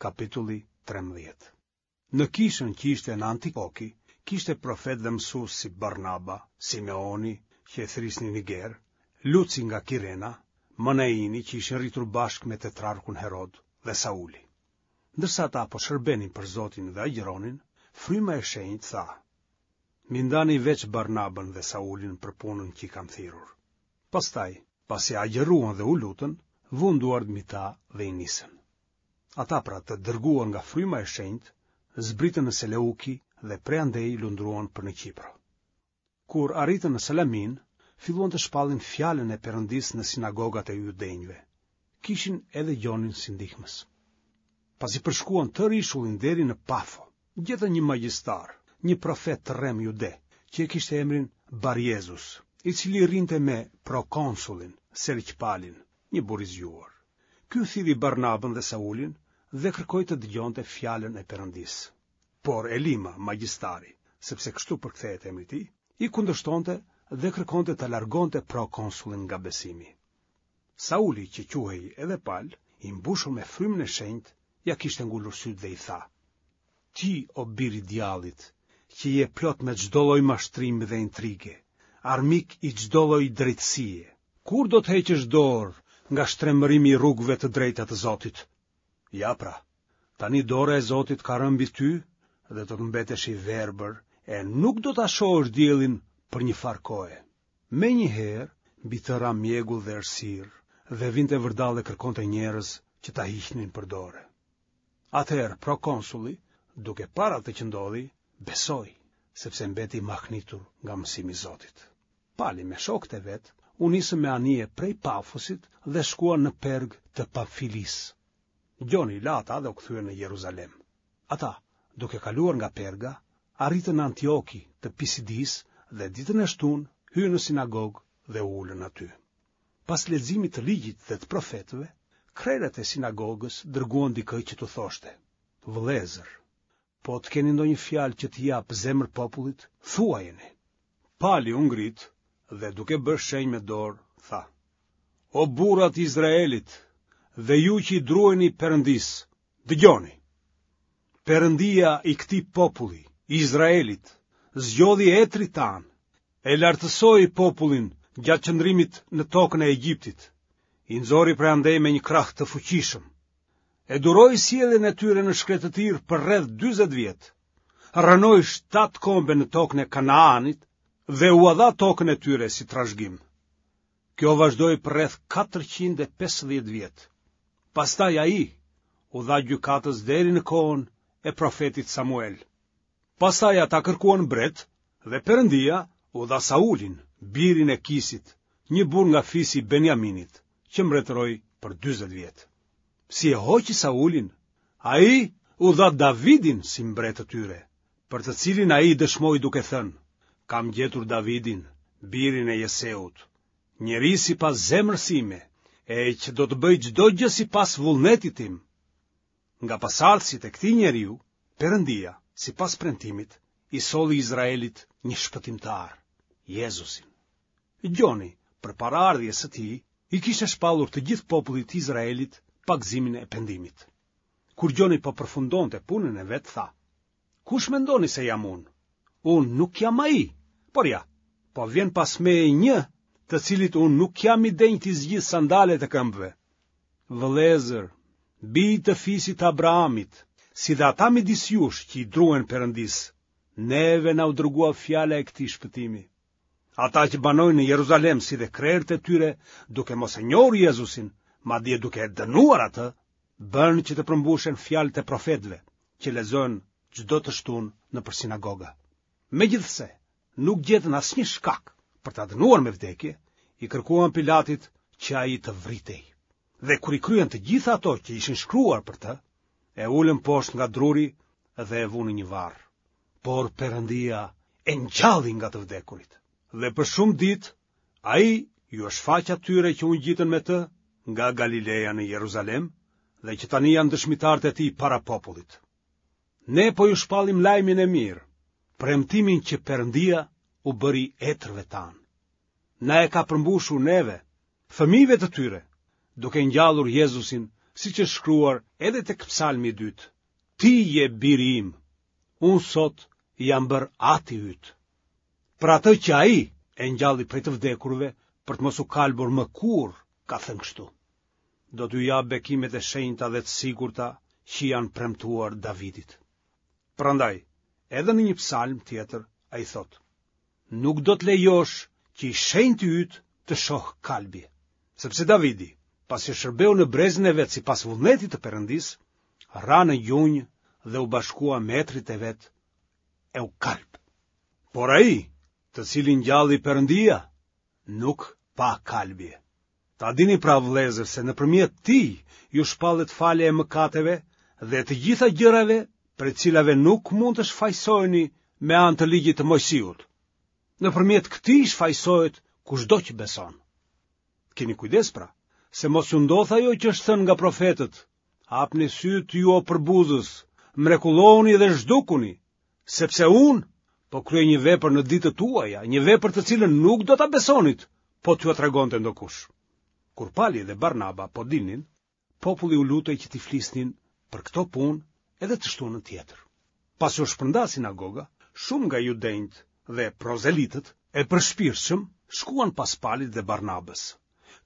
Kapitulli 13. Në kishën që ishte në Antioki, kishte profetë dhe mësues si Barnaba, Simeoni, që e thërrisnin Niger, Luci nga Kirena, Manaini që ishin rritur bashkë me tetrarkun Herod dhe Sauli. Ndërsa ata po shërbenin për Zotin dhe agjëronin, Fryma e Shenjtë tha: M'i ndani veç Barnabën dhe Saulin për punën që i kam thirrur. Pastaj, pasi agjëruan dhe u lutën, vunë duart mbi ta dhe i nisën. Ata pra të dërguar nga Fryma e Shenjtë, zbritën në Seleuki dhe prej andej lundruan për në Qipro. Kur arritën në Salaminë, filluan të shpallin fjalën e Perëndisë në sinagogat e judenjve. Kishin edhe Gjonin si ndihmës. Pasi përshkuan tërë ishullin deri në Pafo, gjetën një magjistar, një profet të rremë jude, që e kishte emrin Barjezus, i cili rrinte me prokonsullin, Sergj Palin, një burrë i zgjuar. Ky thirri Barnabën dhe Saulin dhe kërkoi të dëgjonte fjalën e Perëndisë. Por Elima, magjistari, sepse kështu përkthehet emri i tij, i kundërshtonte dhe kërkonte ta largonte prokonsullin nga besimi. Sauli, që quhej edhe Pal, i mbushur me frymën e shenjtë, ia kishte ngulur sytë dhe i tha: Ti, o bir i djallit, që je plot me çdo lloj mashtrimi dhe intrige, armik i çdo lloj drejtësie, kur do të heqësh dorë nga shtrembërimi i rrugëve të drejta të Zotit? Ja pra, tani dora e Zotit ka rënë mbi ty dhe do të mbetesh i verbër e nuk do ta shohësh diellin për një farë kohe. Menjëherë, mbi të ra mjegull dhe errësirë, dhe vinte vërdallë e kërkonte njerëz që ta hiqnin për dore. Atëherë prokonsulli, duke parë atë që ndodhi, besoi, sepse mbeti i mahnitur nga mësimi i Zotit. Pali me shokët e vet u nisën me anije prej Pafosit dhe shkuan në Perg të Pamfilisë. Gjoni i la ata dhe u kthye në Jeruzalem. Ata, duke kaluar nga Perga, arritën në Antioki të Pisidisë dhe ditën e shtunë hynë në sinagogë dhe u ulën aty. Pas leximit të ligjit dhe të profetëve, krerët e sinagogës dërguan dikë që t'u thoshte: Vëllezër, po të keni ndonjë fjalë që t'i japë zemër popullit, thuajeni. Pali u ngrit dhe duke bërë shenjë me dorë, tha: O burra të Izraelit dhe ju që i druheni Perëndisë, dëgjoni. Perëndia i këtij populli, Izraelit, zgjodhi etërit tanë, e lartësoi popullin gjatë qëndrimit në tokën e Egjiptit, i nxori prej andej me një krah të fuqishëm. E duroi sjelljen e tyre në shkretëtirë për rreth 40 vjet. Rrënoi shtatë kombe në tokën e Kanaanit dhe ua dha tokën e tyre si trashëgim. Kjo vazhdoi për rreth 450 vjet. Pastaj ai u dha gjykatës deri në kohën e profetit Samuel. Pastaj ata kërkuan mbret dhe Perëndia u dha Saulin, birin e Kisit, një burrë nga fisi i Benjaminit, që mbretëroi për 40 vjet. Si e hoqi Saulin, ai u dha Davidin si mbret të tyre, për të cilin ai dëshmoi duke thënë, kam gjetur Davidin, birin e Jeseut, njeri sipas zemrës sime, e që do të bëjë çdo gjë sipas vullnetit tim. Nga pasardhësit e këtij njeriu, Perëndia, sipas premtimit, i solli Izraelit një shpëtimtar, Jezusin. Gjoni, përpara ardhjes së tij, i kishte shpallur të gjithë popullit të Izraelit pagëzimin e pendimit. Kur Gjoni po përfundonte punën e vet, tha: Kush mendoni se jam unë? Unë nuk jam ai, por ja, po vjen pas meje një, të cilit unë nuk jam i denjë t'i zgjidh sandalet e këmbëve. Vëllezër, bij të fisit të Abrahamit, si dhe ata midis jush që i druhen Perëndisë, neve na u dërgua fjala e këtij shpëtimi. Ata që banojnë në Jeruzalem si dhe krerët e tyre, duke mos e njohur Jezusin, madje duke e dënuar atë, bënë që të përmbushen fjalët e profetëve, që lexohen çdo të shtunë nëpër sinagoga. Megjithëse nuk gjetën asnjë shkak për ta dënuar me vdekje, i kërkuan Pilatit që ai të vritej. Dhe kur i kryen të gjitha ato që ishin shkruar për të, e ulën poshtë nga druri dhe e vunë në një varr. Por Perëndia e ngjalli nga të vdekurit. Dhe për shumë ditë ai iu shfaq atyre që u ngjitën me të nga Galileja në Jeruzalem dhe që tani janë dëshmitarët e tij para popullit. Ne po ju shpallim lajmin e mirë, premtimin që Perëndia u bëri etërve tanë. Na e ka përmbushur neve, fëmijëve të tyre, duke ngjallur Jezusin. Siç është shkruar edhe tek psalmi i dytë, Ti je biri im, unë sot jam bërë ati yt. Për atë që ai e ngjalli prej të vdekurve për të mos u kalbur më kurrë, ka thënë kështu. Do t'ju jap bekimet e shenjta dhe të sigurta që i janë premtuar Davidit. Prandaj, edhe në një psalm tjetër ai thotë: Nuk do të lejosh që i shenjti yt të shohë kalbje. Sepse Davidi, pasi shërbeu në brezin e vet sipas vullnetit të Perëndisë, ra në gjunjë dhe u bashkua me etërit e vet e u kalb. Por ai, të cilin ngjalli Perëndia, nuk pa kalbje. Ta dini pra vëllezër se nëpërmjet tij ju shpallet falja e mëkateve dhe e të gjitha gjërave prej të cilave nuk mund të shfajësoheni me anë të ligjit të Moisiut. Nëpërmjet këtij shfajësohet kushdo që beson. Kini kujdes pra, se mos ju ndodhë ajo që është thënë nga profetët. Hapni sytë ju o përbuzës, mrekullohuni dhe zhdukuni, sepse unë po kryej një vepër në ditët tuaja, një vepër të cilën nuk do ta besonit, po t'jua tregonte ndokush. Kur Pali dhe Barnaba po dilnin, populli u lutej që t'i flisnin për këto punë edhe të shtunën tjetër. Pasi u shpërnda sinagoga, shumë nga judenjtë dhe prozelitët e përshpirtshëm shkuan pas Palit dhe Barnabës.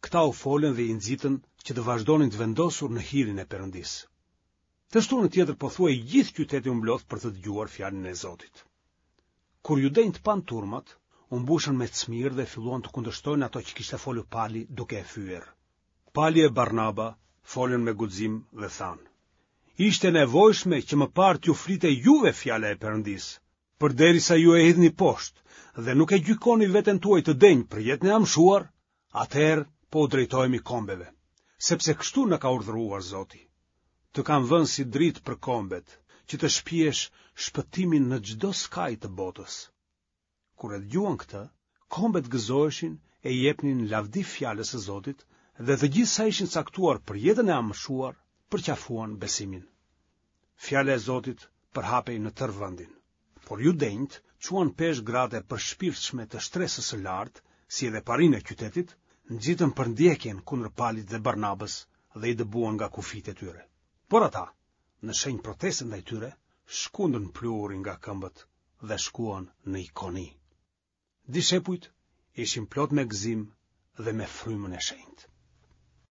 Këta u folën dhe i nxitën që të vazhdonin të vendosur në hirin e Perëndisë. Të shtunën tjetër pothuaj i gjithë qyteti u mblodh për të dëgjuar fjalën e Zotit. Kur judenjtë panë turmat, u mbushën me cmirë dhe filluan të kundërshtojnë ato që kishte folur Pali duke e fyer. Pali e Barnaba folën me guxim dhe thanë: Ishte e nevojshme që më parë t'ju flitej juve fjala e Perëndisë, përderisa ju e hidhni poshtë dhe nuk e gjykoni veten tuaj të denjë për jetën e amshuar, atëherë po u drejtohemi kombeve, sepse kështu na ka urdhëruar Zoti. Të kam vënë si dritë për kombet, që të shpiesh shpëtimin në çdo skaj të botës. Kur e dëgjuan këtë, kombet gëzoheshin e i jepnin lavdi fjalës së Zotit dhe të gjithë sa ishin caktuar për jetën e amshuar, përqafuan besimin. Fjala e Zotit përhapej në tërë vendin. Por judenjtë çuan peshë gratë e përshpirtshme të shtresës së lartë, si edhe parinë e qytetit, nxitën përndjekjen kundër Palit dhe Barnabës dhe i dëbuan nga kufijtë e tyre. Por ata, në shenjë proteste ndaj tyre, shkundën pluhurin nga këmbët dhe shkuan në Ikoni. Dishepujt ishin plot me gëzim dhe me frymën e shenjtë.